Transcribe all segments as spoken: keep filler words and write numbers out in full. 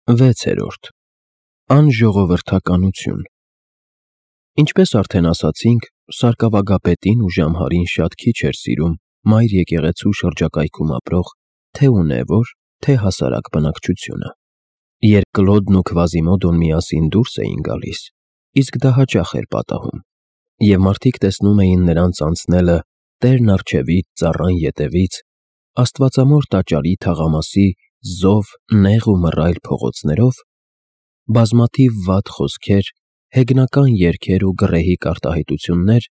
վեցերորդ Անժողովրդականություն Ինչպես արդեն ասացինք, սարկավագապետին ու Ժամհարին շատ քիչ էր սիրում մայր եկեղեցու շրջակայքում ապրող թե՛ ունևոր, թե՛ հասարակ բնակչությունը։ Երբ Կլոդն ու Քվազիմոդոն միասին դուրս էին գալիս, իսկ դա հաճախ էր պատահում, և մարդիկ տեսնում էին նրանց անցնելը տերն առջևից, ծառան ետևից, աստվածամոր տաճարի թաղամասի զով, նեղ ու մռայլ փողոցներով, բազմաթիվ վատ խոսքեր, հեգնական երգեր ու գռեհիկ արտահայտություններ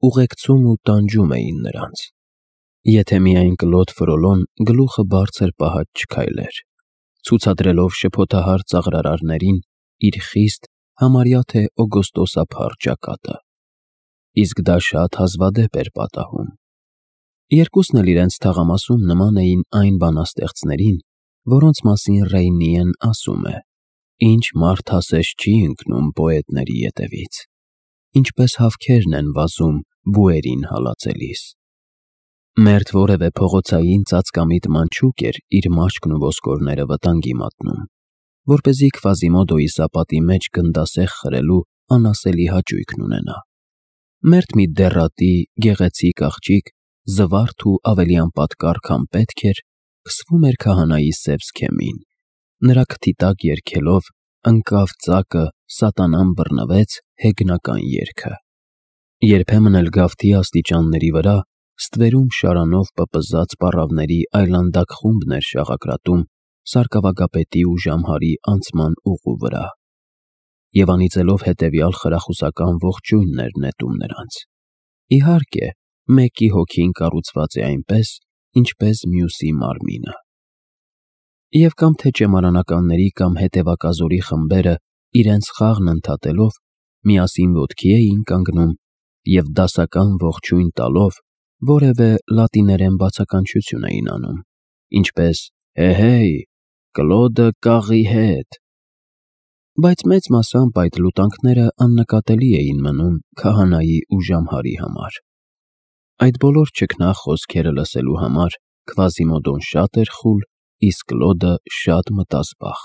ուղեկցում ու տանջում էին նրանց, եթե միայն Կլոդ Ֆրոլոն գլուխը բարձր պահած չքայլեր, ցուցադրելով շփոթահար ծաղրարարներին իր խիստ, համարյա թե օգոստոսափառ ճակատը։ Իսկ դա շատ հազվադեպ էր պատահում։ Երկուսն էլ իրենց թաղամասում նման էին այն բանաստեղծներին, որոնց մասին Ռեյնիեն ասում է. «Ինչ մարդ ասես չի ընկնում պոետների ետևից, ինչպես հավքերն են վազում բուերին հալածելիս»։ Մերթ որևէ փողոցային ծածկամիտ մանչուկ էր իր մաշկն ու ոսկորները վտանգի մատնում, որպեսզի Քվազիմոդոյի սապատի մեջ գնդասեղ խրելու անասելի հաճույքն ունենա։ Մերթ մի դեռատի, գեղեցիկ աղջիկ, զվարթ ու ավելի անպատկառ, քան պետք էր, քսվում էր քահանայի սև սքեմին, նրա քթի տակ երգելով «Ընկավ ծակը, սատանան բռնվեց» հեգնական երգը։ Երբեմն էլ գավթի աստիճանների վրա ստվերում շարանով պպզած պառավների այլանդակ խումբն էր շաղակրատում սարկավագապետի ու Ժամհարի անցման ուղու վրա, և անիծելով հետևյալ խրախուսական ողջույնն էր նետում նրանց. իհարկե, մեկի հոգին կառուցված է այնպես, ինչպես մյուսի մարմինը։ Եվ կամ թե ճեմարանականների կամ հետևակազորի խմբերը իրենց խաղն ընդհատելով միասին ոտքի էին կանգնում և դասական ողջույն տալով որևէ լատիներեն բացականչություն էին անում, ինչպես «Հե՜հեյ, Կլոդը կաղի հետ»։ Բայց մեծ մասամբ այդ լուտանքները աննկատելի էին մնում քահանայի ու Ժամհարի համար։ Այդ բոլոր ճքնաղ խոսքերը լսելու համար Քվազիմոդոն շատ էր խուլ, իսկ Կլոդը շատ մտազբաղ։